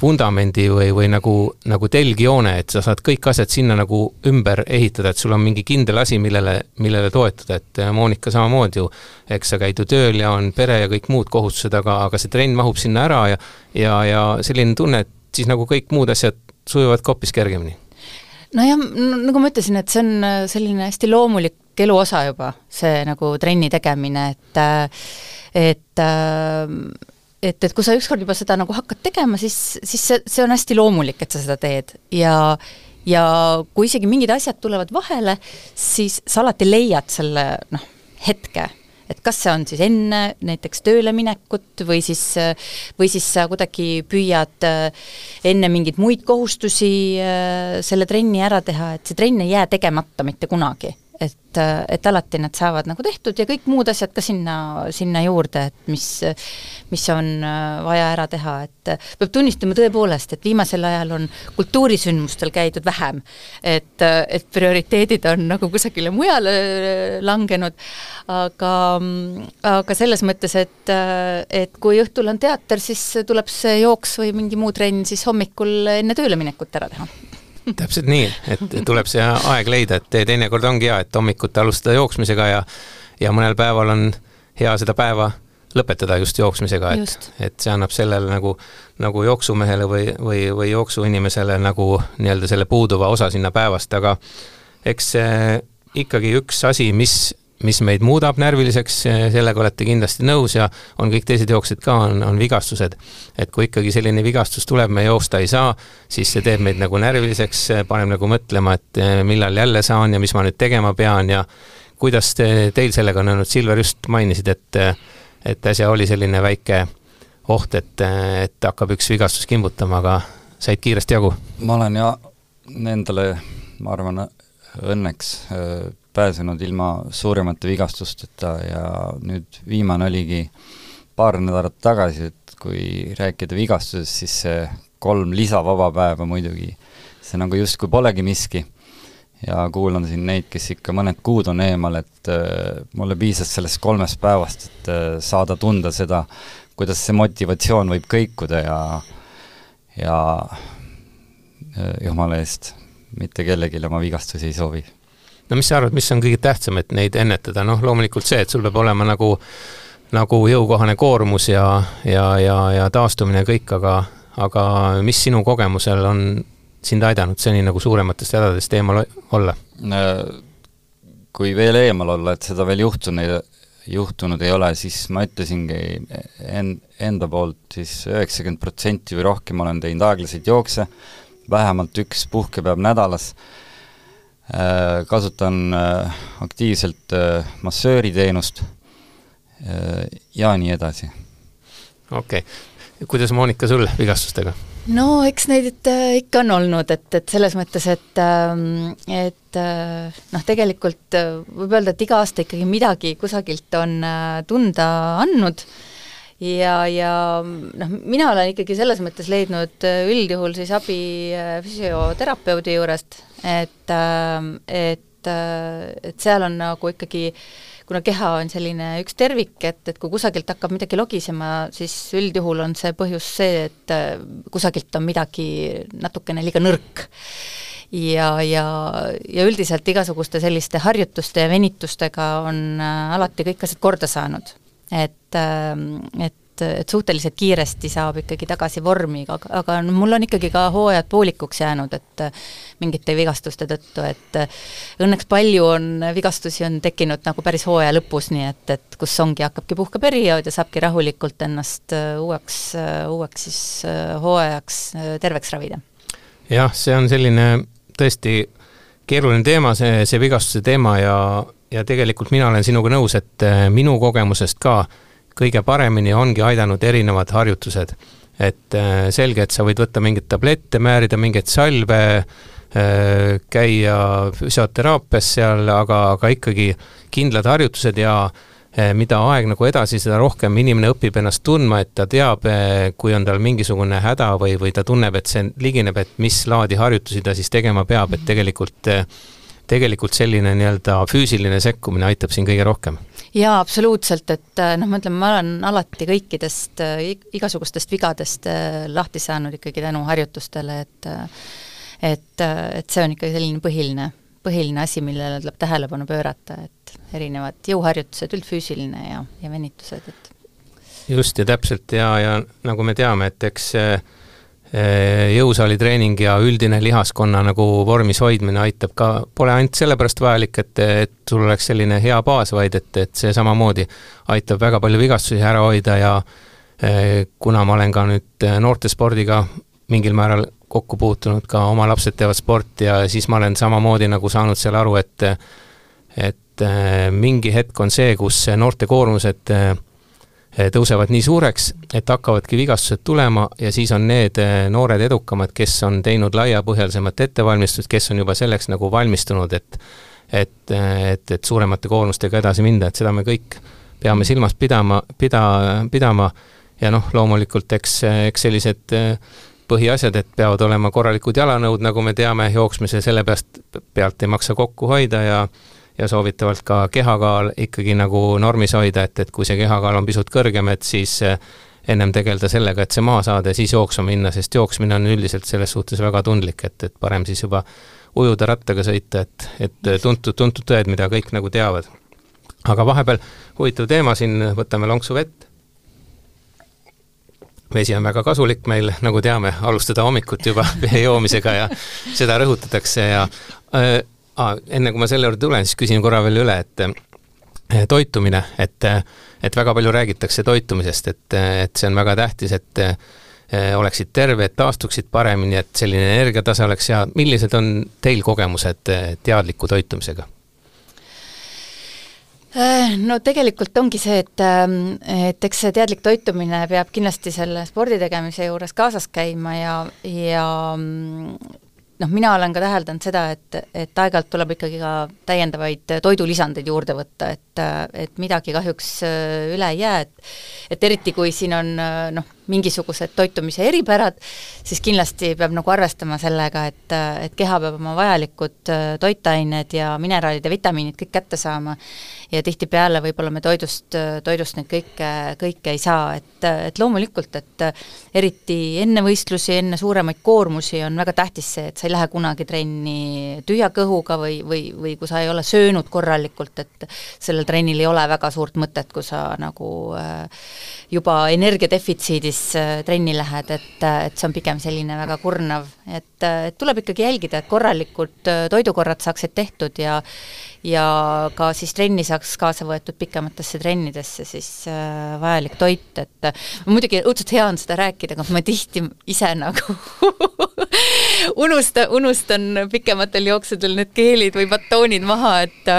vundamendi või, või nagu, nagu telgjoone, et sa saad kõik asjad sinna nagu ümber ehitada, et sul on mingi kindel asi, millele, millele toetuda, et Monika samamoodi ju, eks sa käid ju tööl ja on pere ja kõik muud kohustused, aga, aga see trenn mahub sinna ära ja, ja, ja selline tunne, et siis nagu kõik muud asjad sujuvad hoopis kergemini. Nojah, nagu ma ütlesin, et see on selline hästi loomulik elu osa juba, see nagu trenni tegemine, et et et, et kui sa ükskord juba seda nagu hakkad tegema, siis, siis see, see on hästi loomulik, et sa seda teed ja, ja kui isegi mingid asjad tulevad vahele, siis sa alati leiad selle noh, hetke, et kas see on siis enne näiteks tööle minekut või siis, või siis sa kuidagi püüad enne mingeid muid kohustusi selle trenni ära teha, et see trenn ei jää tegemata mitte kunagi. Et, et alati nad saavad nagu tehtud ja kõik muud asjad ka sinna, sinna juurde, et mis, mis on vaja ära teha, et peab tunnistama tõepoolest, et viimasel ajal on kultuurisündmustel käidud vähem, et, et prioriteedid on nagu kusagile mujale langenud, aga, aga selles mõttes, et, et kui õhtul on teater, siis tuleb see jooks või mingi muu trenn siis hommikul enne tööle minekut ära teha. Täpselt nii, et tuleb see aeg leida, et teinekord ongi hea, et hommikut alustada jooksmisega ja, ja mõnel päeval on hea seda päeva lõpetada just jooksmisega, et, et see annab sellele nagu, nagu jooksumehele või, või, või jooksuinimesele nagu nii-öelda selle puuduva osa sinna päevast, aga eks ikkagi üks asi, mis mis meid muudab närviliseks, sellega olete kindlasti nõus ja on kõik teised jooksed ka, on, on vigastused. Et kui ikkagi selline vigastus tuleb, me joosta ei saa, siis see teeb meid nagu närviliseks, paneb nagu mõtlema, et millal jälle saan ja mis ma nüüd tegema pean ja kuidas te, teil sellega on olnud, Silver just mainisid, et, et äsja oli selline väike oht, et, et hakkab üks vigastus kimbutama, aga said kiiresti jagu? Ma olen ja endale, ma arvan, õnneks pääsenud ilma suuremate vigastusteta ja nüüd viimane oligi paar nädalat tagasi, et kui rääkida vigastusest, siis see kolm lisavaba päeva muidugi, see nagu justkui polegi miski ja kuulan siin neid, kes ikka mõned kuud on eemal, et äh, mulle piisas sellest kolmest päevast, et äh, saada tunda seda, kuidas see motivatsioon võib kõikuda ja ja äh, jumala eest mitte kellelegi oma vigastusi ei soovi. No mis sa arvad, mis on kõige tähtsam, et neid ennetada? Noh, loomulikult see, et sul peab olema nagu, nagu jõukohane koormus ja, ja, ja, ja taastumine kõik, aga, aga mis sinu kogemusel on sind aidanud seni nagu suurematest hädadest eemal olla? Kui veel eemal olla, et seda veel juhtunud, juhtunud ei ole, siis ma ütlesingi enda poolt siis üheksakümmend protsenti või rohkem olen teinud aeglaseid jookse, vähemalt üks puhkepäev nädalas, kasutan aktiivselt massööriteenust ja nii edasi. Okei. Okay. Kuidas Monika sul vigastustega? No eks neid ikka on olnud, et, et selles mõttes, et, et noh, tegelikult võib öelda, et iga aasta ikkagi midagi kusagilt on tunda andnud ja, ja noh, mina olen ikkagi selles mõttes leidnud üldjuhul siis abi füsioterapeudi juurest, et, et, et seal on nagu ikkagi, kuna keha on selline üks tervik, et, et kui kusagilt hakkab midagi logisema, siis üldjuhul on see põhjus see, et kusagilt on midagi natukene liiga nõrk. Ja, ja, ja üldiselt igasuguste selliste harjutuste ja venitustega on alati kõik asjad korda saanud. Et, et et suhteliselt kiiresti saab ikkagi tagasi vormi, aga, aga mul on ikkagi ka hooajad poolikuks jäänud, et mingite vigastuste tõttu, et õnneks palju on vigastusi on tekkinud nagu päris hooaja lõpus, nii et, et kus ongi, hakkabki puhkeperiood ja saabki rahulikult ennast uueks, uueks siis hooajaks terveks ravida. Jah, see on selline tõesti keeruline teema, see, see vigastuse teema ja, ja tegelikult mina olen sinuga nõus, et minu kogemusest ka kõige paremini ongi aidanud erinevad harjutused. Et selge, et sa võid võtta mingit tablette, määrida mingeid salve, käia füsioteraapias seal, aga, aga ikkagi kindlad harjutused ja mida aeg nagu edasi, seda rohkem inimene õpib ennast tundma, et ta teab, kui on tal mingisugune häda või, või ta tunneb, et see ligineb, et mis laadi harjutusi ta siis tegema peab, et tegelikult, tegelikult selline nii-öelda füüsiline sekkumine aitab siin kõige rohkem. Jaa, absoluutselt, et noh, ma ütlen, ma olen alati kõikidest igasugustest vigadest lahti saanud ikkagi tänu harjutustele, et, et, et see on ikkagi selline põhiline põhiline asi, millele tuleb tähelepanu pöörata, et erinevad jõuharjutused, üldfüüsiline ja, ja venitused. Et. Just ja täpselt ja, ja nagu me teame, et eks jõusaali treening ja üldine lihaskonna nagu vormis hoidmine aitab ka, pole ainult sellepärast vajalik, et, et sul oleks selline hea baas, vaid et, et see samamoodi aitab väga palju vigastusi ära hoida ja kuna ma olen ka nüüd noortespordiga mingil määral kokku puutunud, ka oma lapsed teevad sporti ja siis ma olen samamoodi nagu saanud seal aru, et et mingi hetk on see, kus noorte koormused tõusevad nii suureks, et hakkavadki vigastused tulema ja siis on need noored edukamad, kes on teinud laiapõhjalisemat ettevalmistust, kes on juba selleks nagu valmistunud, et et, et, et suuremate koormustega edasi minda, et seda me kõik peame silmas pidama, pida, pidama ja noh, loomulikult eks, eks sellised põhiasjad, et peavad olema korralikud jalanõud, nagu me teame, jooksmise selle peast, pealt ei maksa kokku hoida ja, ja soovitavalt ka kehakaal ikkagi nagu normis hoida, et, et kui see kehakaal on pisut kõrgem, et siis ennem tegelda sellega, et see maa saada ja siis jooksma minna, sest jooksmine on üldiselt selles suhtes väga tundlik, et, et parem siis juba ujuda rattaga sõita, et, et tuntud, tuntud tõed, mida kõik nagu teavad. Aga vahepeal huvitav teema siin, võtame lonksu vett. Vesi on väga kasulik meil, nagu teame, alustada hommikut juba joomisega ja seda rõhutatakse ja äh, enne kui ma selle juurde tulen, siis küsin korra veel üle, et äh, toitumine, et, et väga palju räägitakse toitumisest, et, et see on väga tähtis, et äh, oleksid terve, et taastuksid paremini, et selline energiatase oleks hea. Millised on teil kogemused teadliku toitumisega? No tegelikult ongi see, et, et eks see teadlik toitumine peab kindlasti selle spordi tegemise juures kaasas käima ja, ja noh, mina olen ka täheldanud seda, et, et aeg-ajalt tuleb ikkagi ka täiendavaid toidulisandeid juurde võtta, et, et midagi kahjuks üle ei jää, et, et eriti kui siin on noh, mingisugused toitumise eripärad, siis kindlasti peab nagu arvestama sellega, et, et keha peab oma vajalikud toitained ja mineraalid ja vitamiinid kõik kätte saama ja tihtipeale võib-olla me toidust, toidust neid kõike, kõike ei saa, et, et loomulikult, et eriti enne võistlusi, enne suuremaid koormusi on väga tähtis see, et sa ei lähe kunagi trenni tühja kõhuga või, või, või kui sa ei ole söönud korralikult, et sellel trennil ei ole väga suurt mõtet, kui sa nagu juba energiadefitsiidis trenni lähed, et, et see on pigem selline väga kurnav, et, et tuleb ikkagi jälgida, et korralikud toidukorrad saaksid tehtud ja ja ka siis trenni saaks kaasa võetud pikematesse trennidesse siis äh, vajalik toit, et äh, muidugi õudselt hea on seda rääkida, aga ma tihti ise nagu unusta, unustan pikematel jooksudel need keelid või batoonid maha, et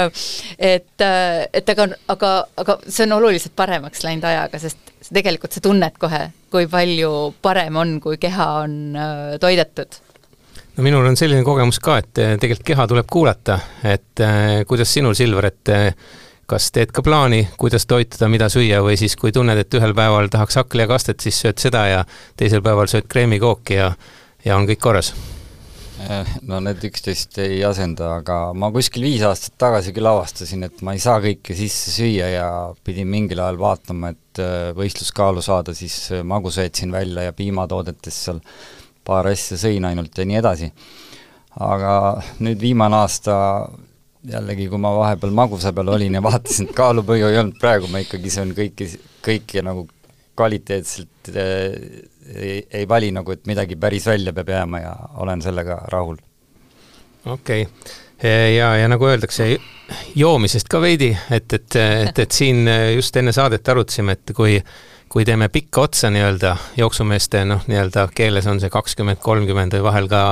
et, et aga, aga, aga see on oluliselt paremaks läinud ajaga, sest tegelikult sa tunned kohe, kui palju parem on, kui keha on äh, toidetud. No minul on selline kogemus ka, et tegelikult keha tuleb kuulata, et äh, kuidas sinul, Silver, et äh, kas teed ka plaani, kuidas toituda, mida süüa või siis kui tunned, et ühel päeval tahaks hakklihakastet, siis sööd seda ja teisel päeval sööd kreemikooki ja, ja on kõik korras? No need üksteist ei asenda, aga ma kuskil viis aastat tagasi küll avastasin, et ma ei saa kõike sisse süüa ja pidin mingil ajal vaatama, et võistluskaalu saada, siis magusöötsin välja ja piimatoodetes seal paar asja sõin ainult ja nii edasi. Aga nüüd viimane aasta jällegi, kui ma vahepeal magusa peal olin ja vaatasin, et kaalupõju ei olnud praegu, ma ikkagi söön kõiki, kõiki nagu kvaliteetselt äh, ei, ei vali nagu, et midagi päris välja peab jääma ja olen sellega rahul. Okei. Okay. Ja, ja nagu öeldakse, joomisest ka veidi, et, et, et, et siin just enne saadet arutasime, et kui kui teeme pikka otsa nii-öelda jooksumeeste, noh, nii-öelda keeles on see kakskümmend kolmkümmend või vahel ka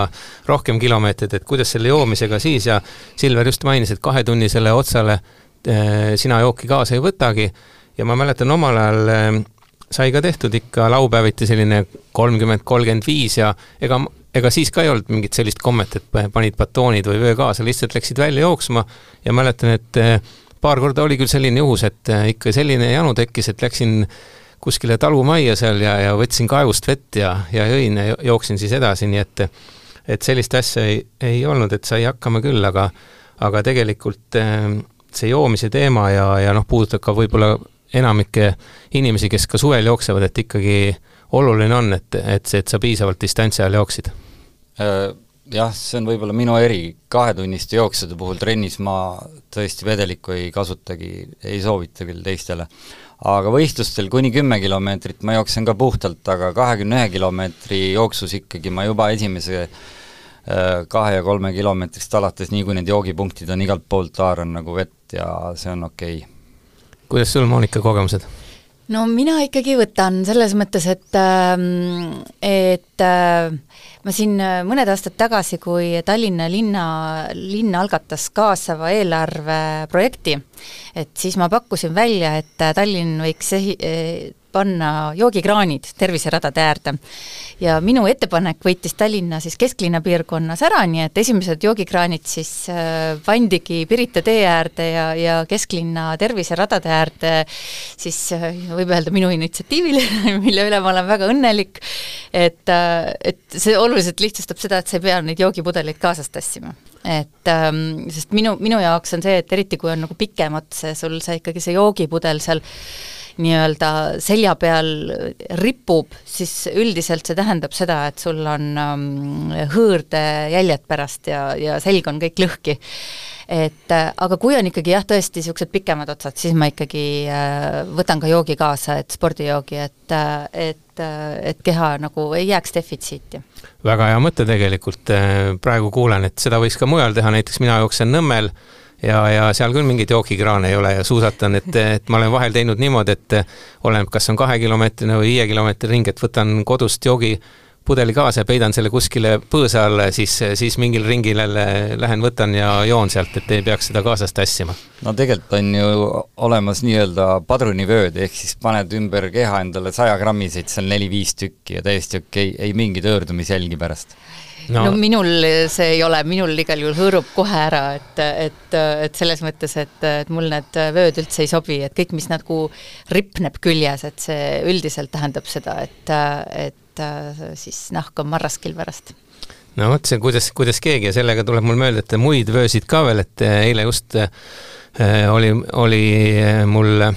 rohkem kilomeetrid, et kuidas selle joomisega siis ja Silver just mainis, et kahe tunnisele otsale eh, sina jooki kaasa ei võtagi ja ma mäletan omal ajal eh, sai ka tehtud ikka laupäeviti selline kolmkümmend kolmkümmend viis ja ega, ega siis ka ei olnud mingit sellist kommet, et panid batoonid või vöö kaasa, lihtsalt läksid välja jooksma ja mäletan, et eh, paar korda oli küll selline juhus, et ikka selline janu tekkis, et läksin kuskile talumajja seal ja, ja võtsin kaevust vett ja, ja jõin ja jooksin siis edasi, nii et et sellist asja ei, ei olnud, et sai hakkama küll, aga aga tegelikult see joomise teema ja, ja noh, puudutab ka võib-olla enamike inimesi, kes ka suvel jooksevad, et ikkagi oluline on, et, et see, et sa piisavalt distantsi ajal jooksid. Jah, see on võib-olla minu eri kahetunniste jooksude puhul trennis ma tõesti vedelikku ei kasutagi, ei soovita küll teistele. Aga võistlustel kuni kümme kilomeetrit ma jooksen ka puhtalt, aga kahekümne ühe kilomeetri jooksus ikkagi ma juba esimese kahe ja kolme kilomeetrist alates, nii kui need joogipunktid on igalt poolt haaran nagu vett ja see on okei. Kuidas sul, Monika, kogemused? No mina ikkagi võtan selles mõttes, et, et ma siin mõned aastad tagasi, kui Tallinna linna, linna algatas kaasava eelarve projekti, et siis ma pakkusin välja, et Tallinn võiks ehi, panna joogikraanid terviseradade äärde. Ja minu ettepanek võitis Tallinna siis kesklinna piirkonnas ära, nii et esimesed joogikraanid siis pandigi Pirita tee äärde ja, ja kesklinna terviseradade äärde, siis võib öelda minu initsiatiivile, mille üle ma olen väga õnnelik, et, et see oluliselt lihtsustab seda, et sa ei pea neid joogipudeleid kaasas tassima. Et, ähm, sest minu, minu jaoks on see, et eriti kui on nagu pikem ots, sul see ikkagi see joogipudel seal nii-öelda selja peal ripub, siis üldiselt see tähendab seda, et sul on um, hõõrde jäljed pärast ja, ja selg on kõik lõhki. Et, aga kui on ikkagi jah, tõesti niisugused pikemad otsad, siis ma ikkagi äh, võtan ka joogi kaasa, et spordijoogi, et, et, et keha nagu ei jääks defitsiiti. Väga hea mõte tegelikult, praegu kuulen, et seda võiks ka mujal teha, näiteks mina jooksen Nõmmel ja, ja seal küll mingid joogikraane ei ole ja suusatan, et, et ma olen vahel teinud niimoodi, et olen, kas on kahe kilomeetrine või viie kilomeetri ring, et võtan kodust joogipudeli kaasa ja peidan selle kuskile põõsa alla, siis, siis mingil ringil lähen võtan ja joon sealt, et ei peaks seda kaasast tassima. No tegelikult on ju olemas nii-öelda padrunivööd, ehk siis paned ümber keha endale saja grammiseid, seal neli-viis tükki ja täiesti okei, ei mingi tõõrdumisjälgi pärast. No. no minul see ei ole, minul igal juhul hõõrub kohe ära, et, et, et selles mõttes, et, et mul need vööd üldse ei sobi, et kõik, mis nagu ripneb küljes, et see üldiselt tähendab seda, et, et siis nahk on marraskil pärast. No vot, see kuidas, kuidas keegi ja sellega tuleb mul meelde, et muid vöösid ka veel, et eile just äh, oli, oli mul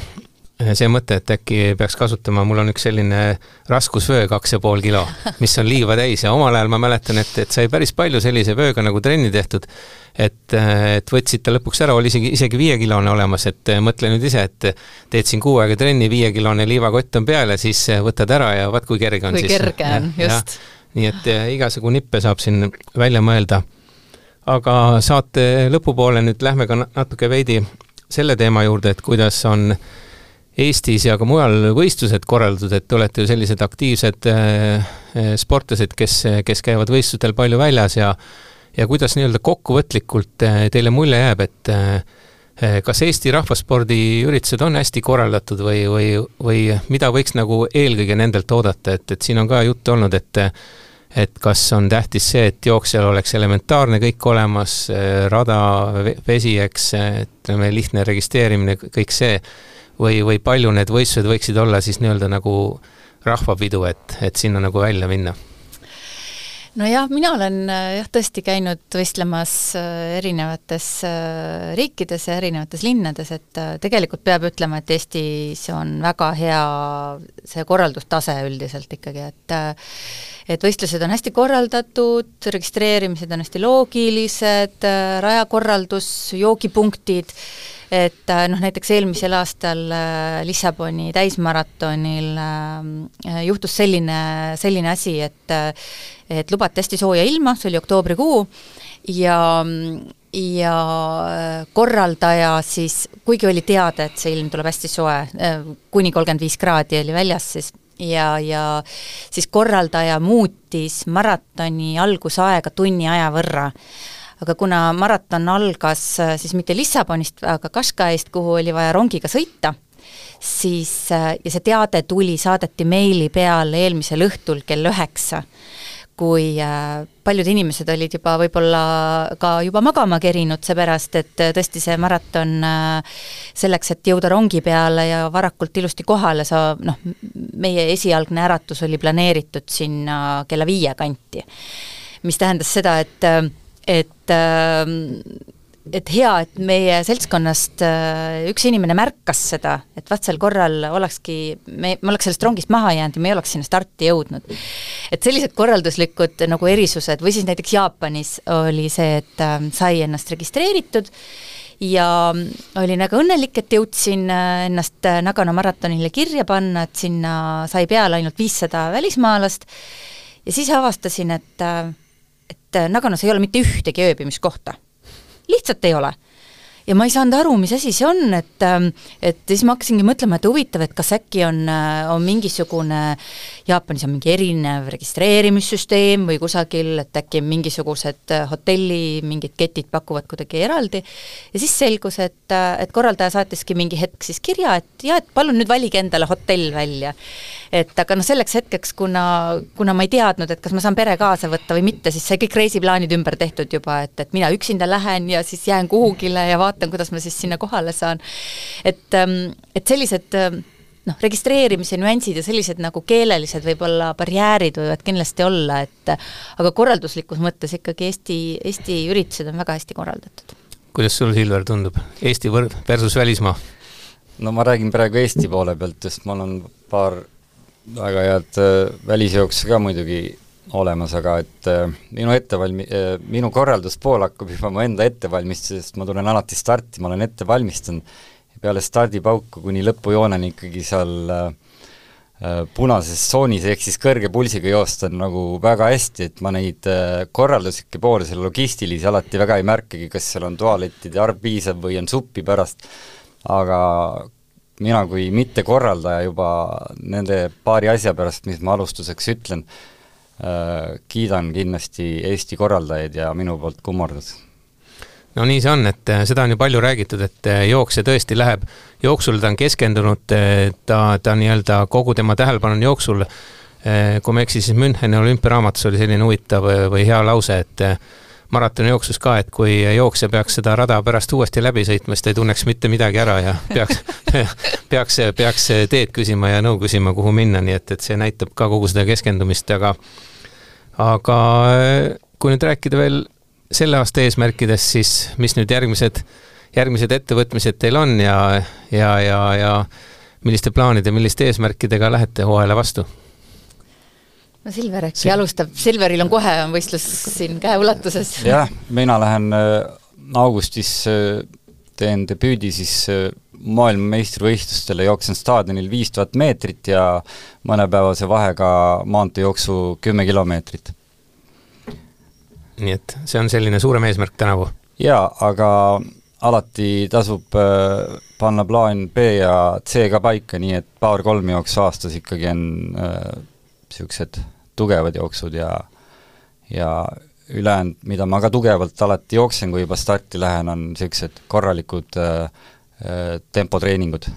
see mõte, et äkki peaks kasutama, mul on üks selline raskusvöö kaks ja pool kilo, mis on liiva täis ja omal ajal ma mäletan, et, et sai päris palju sellise vööga nagu trenni tehtud, et, et võtsid ta lõpuks ära, oli isegi, isegi viiekilone olemas, et mõtle nüüd ise, et teed siin kuu aega trenni, viiekilone liivakott on peal ja siis võtad ära ja vaat kui kerge on. Kui siis. kerge on, just. Ja, nii et igasugu nippe saab siin välja mõelda. Aga saate lõpupoole nüüd lähme ka natuke veidi selle teema juurde, et kuidas on Eestis ja ka mujal võistlused korraldatud, et olete ju sellised aktiivsed äh, sportlased, kes, kes käivad võistlustel palju väljas ja, ja kuidas nii-öelda kokkuvõtlikult äh, teile mulje jääb, et äh, kas Eesti rahvaspordi üritused on hästi korraldatud või, või, või mida võiks nagu eelkõige nendelt oodata, et, et siin on ka juttu olnud, et, et kas on tähtis see, et jooksjal oleks elementaarne kõik olemas, rada, vesi, eks, ütleme, lihtne registreerimine, kõik see, või, või palju need võistlused võiksid olla siis nii-öelda nagu rahvapidu, et, et sinna nagu välja minna? No jah, mina olen jah, tõesti käinud võistlemas erinevates riikides ja erinevates linnades, et tegelikult peab ütlema, et Eestis on väga hea see korraldustase üldiselt ikkagi, et et võistlused on hästi korraldatud, registreerimised on hästi loogilised, rajakorraldus, joogipunktid, et noh, näiteks eelmisel aastal Lissaboni täismaratonil juhtus selline, selline asi, et et lubati hästi sooja ilma, see oli oktoobrikuu ja, ja korraldaja siis, kuigi oli teada, et see ilm tuleb hästi soe, kuni kolmkümmend viis kraadi oli väljas siis ja, ja siis korraldaja muutis maratoni algusaega tunni aja võrra. Aga kuna maraton algas siis mitte Lissabonist, aga Kashgaist, kuhu oli vaja rongiga sõita, siis ja see teade tuli, saadeti meili peale eelmisel õhtul kell üheksa, kui paljud inimesed olid juba võib-olla ka juba magama kerinud, seepärast, et tõesti see maraton selleks, et jõuda rongi peale ja varakult ilusti kohale, sa, noh, meie esialgne äratus oli planeeritud sinna kella viie kanti, mis tähendas seda, et, et et hea, et meie seltskonnast üks inimene märkas seda, et vaat sel korral olekski, me, me oleks sellest rongist maha jäänud ja me ei oleks sinna starti jõudnud. Et sellised korralduslikud nagu erisused, või siis näiteks Jaapanis oli see, et sai ennast registreeritud ja olin väga õnnelik, et jõudsin ennast Nagano maratonile kirja panna, et sinna sai peale ainult viissada välismaalast ja siis avastasin, et, et Naganos ei ole mitte ühtegi ööbimiskohta. Lihtsalt ei ole. Ja ma ei saanud aru, mis asi see on, et, et siis ma hakkasingi mõtlema, et huvitav, et kas äkki on, on mingisugune, Jaapanis on mingi erinev registreerimissüsteem või kusagil, et äkki mingisugused hotelli, mingid ketid pakuvad kuidagi eraldi. Ja siis selgus, et, et korraldaja saatiski mingi hetk siis kirja, et jah, et palun nüüd valige endale hotell välja. Et aga no selleks hetkeks, kuna, kuna ma ei teadnud, et kas ma saan pere kaasa võtta või mitte, siis sai kõik reisiplaanid ümber tehtud juba, et, et mina üksinda lähen ja siis jään kuhugile ja vaatan, kuidas ma siis sinna kohale saan. Et, et sellised noh, registreerimise nüansid ja sellised nagu keelelised võib-olla barjäärid võivad kindlasti olla, et aga korralduslikus mõttes ikkagi Eesti, Eesti üritused on väga hästi korraldatud. Kuidas sul, Silver, tundub? Eesti versus välismaa? No ma räägin praegu Eesti poole pealt, sest mul on paar väga head välisjooksu ka muidugi olemas, aga et minu ettevalmi-, minu korralduspool hakkab juba mu enda ettevalmistus, sest ma tulen alati starti, ma olen ette valmistanud ja peale stardipauku kuni lõpujooneni ikkagi seal punases tsoonis ehk siis kõrge pulsiga joosta nagu väga hästi, et ma neid korralduslikke poole, selle logistilisi alati väga ei märkagi, kas seal on toalettide arv piisav või on suppi pärast, aga mina kui mitte korraldaja juba nende paari asja pärast, mis ma alustuseks ütlen, äh, kiidan kindlasti Eesti korraldajaid ja minu poolt kummardus. No nii see on, et seda on ju palju räägitud, et jooksja tõesti läheb jooksul, ta on keskendunud, ta, ta nii-öelda kogu tema tähelepanu on jooksul, kui me eksi, siis Müncheni olümpiaraamatus oli selline huvitav või hea lause, et maratoni jooksus ka, et kui jooksja peaks seda rada pärast uuesti läbi sõitma, siis ta ei tunneks mitte midagi ära ja peaks, peaks, peaks teed küsima ja nõu küsima, kuhu minna, nii et, et see näitab ka kogu seda keskendumist, aga aga kui nüüd rääkida veel selle aasta eesmärkidest, siis mis nüüd järgmised, järgmised ettevõtmised teil on ja, ja, ja, ja milliste plaanide, milliste eesmärkidega lähete hooajale vastu? No Silver äkki alustab, Silveril on kohe on võistlus siin käe ulatuses. Jah, mina lähen augustis, teen debüüdi siis maailmameistrivõistlustele, jooksen staadionil viis tuhat meetrit ja mõnepäevase vahega maanteejooksu kümme kilomeetrit. Nii et see on selline suurem eesmärk tänavu? Jaa, aga alati tasub panna plaan B ja C ka paika, nii et paar-kolm jooksu aastas ikkagi on niisugused tugevad jooksud ja, ja ülejäänud, mida ma ka tugevalt alati jooksen, kui juba starti lähen, on niisugused korralikud äh, tempotreeningud.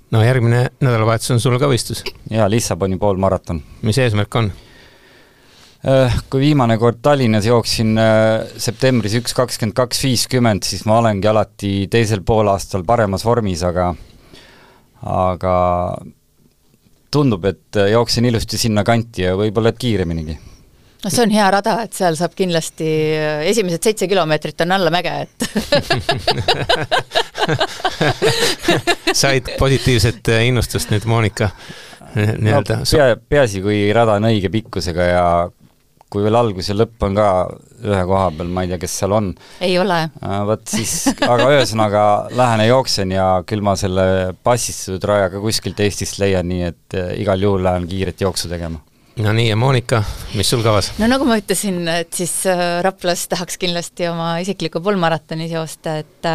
No järgmine nädalavahetus on sul ka võistlus? Jaa, Lissaboni poolmaraton. Mis eesmärk on? Äh, kui viimane kord Tallinnas jooksin äh, septembris üks kakskümmend kaks viiskümmend, siis ma olengi alati teisel poolaastal paremas vormis, aga aga tundub, et jooksen ilusti sinna kanti ja võib-olla et kiireminigi. No see on hea rada, et seal saab kindlasti esimesed seitse kilomeetrit on alla mäge, et said positiivset innustust nüüd, Monika? No, pea, peasi, kui rada on õige pikkusega ja kui veel algus ja lõpp on ka ühe koha peal, ma ei tea, kes seal on. Ei ole. Võt siis, aga ühesõnaga lähen ja jooksen ja küll ma selle passistatud rajaga kuskilt Eestist leian, nii et igal juhul lähen kiiret jooksu tegema. No nii, ja Monika, mis sul kavas? No nagu ma ütlesin, et siis Raplas tahaks kindlasti oma isikliku poolmaratonis joosta, et,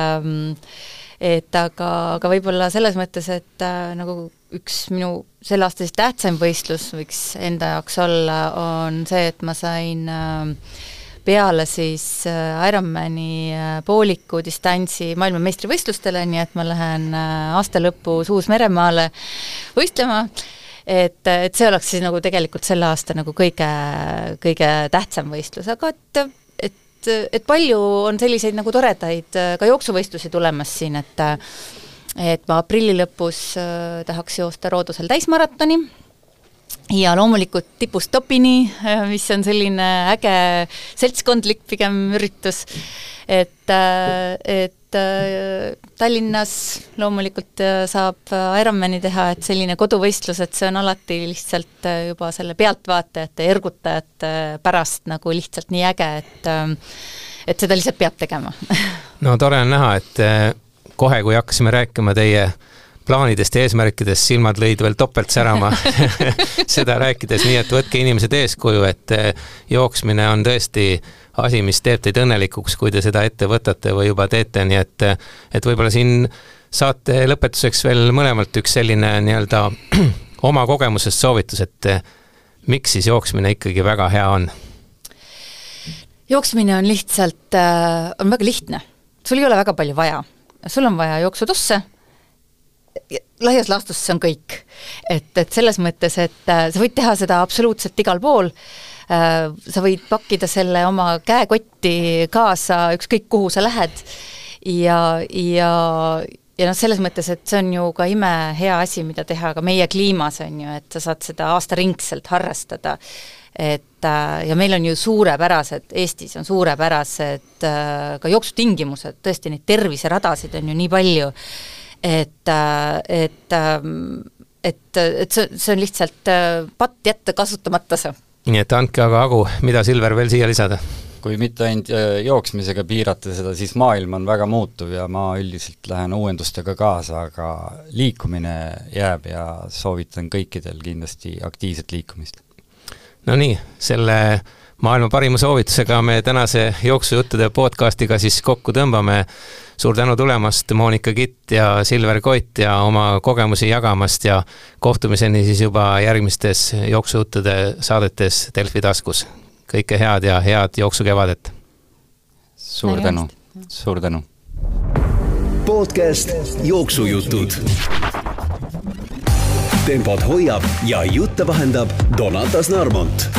et aga, aga võib-olla selles mõttes, et nagu üks minu selle aasta siis tähtsaim võistlus võiks enda jaoks olla, on see, et ma sain peale siis Ironmani pooliku distantsi maailmameistrivõistlustele, nii et ma lähen aasta lõpus Uus-Meremaale võistlema, et, et see oleks siis nagu tegelikult selle aasta nagu kõige, kõige tähtsam võistlus, aga et, et, et palju on selliseid nagu toredaid ka jooksuvõistlusi tulemas siin, et et ma aprilli lõpus tahaks joosta Roodusel täismaratoni, ja loomulikult tipust topini, mis on selline äge seltskondlik pigem üritus, et, et Tallinnas loomulikult saab Ironmani teha, et selline koduvõistlus, et see on alati lihtsalt juba selle pealtvaatajate, ergutajate pärast nagu lihtsalt nii äge, et, et seda lihtsalt peab tegema. No tore on näha, et kohe, kui hakkasime rääkima teie plaanidest ja eesmärkidest, silmad lõid veel topelt särama seda rääkides, nii et võtke inimesed eeskuju, et jooksmine on tõesti asi, mis teeb teid õnnelikuks, kui te seda ette võtate või juba teete, nii et, et võib-olla siin saate lõpetuseks veel mõlemalt üks selline nii-öelda oma kogemusest soovitus, et miks siis jooksmine ikkagi väga hea on? Jooksmine on lihtsalt, on väga lihtne. Sul ei ole väga palju vaja. Sul on vaja jooksutosse, laias laastus see on kõik. Et, et selles mõttes, et sa võid teha seda absoluutselt igal pool, sa võid pakkida selle oma käekotti kaasa, ükskõik kuhu sa lähed, ja, ja, ja noh, selles mõttes, et see on ju ka ime hea asi, mida teha ka meie kliimas on ju, et sa saad seda aastaringselt harrastada, et ja meil on ju suurepärased, Eestis on suurepärased ka jooksutingimused, tõesti neid terviseradasid on ju nii palju, et, et, et, et see, see on lihtsalt patt jätta kasutamata see. Nii et andke aga Agu, mida Silver veel siia lisada? Kui mitte ainult jooksmisega piirata seda, siis maailm on väga muutuv ja ma üldiselt lähen uuendustega kaasa, aga liikumine jääb ja soovitan kõikidel kindlasti aktiivset liikumist. No nii, selle maailma parima soovitusega me tänase jooksujuttude podcastiga siis kokku tõmbame. Suur tänu tulemast, Monika Kitt ja Silver Koit ja oma kogemusi jagamast ja kohtumiseni siis juba järgmistes jooksujuttude saadetes Delfi taskus. Kõike head ja head jooksukevadet. Suur tänu, suur tänu. Podcast Jooksujutud. Tempot hoiab ja jutte vahendab Donatas Narmont.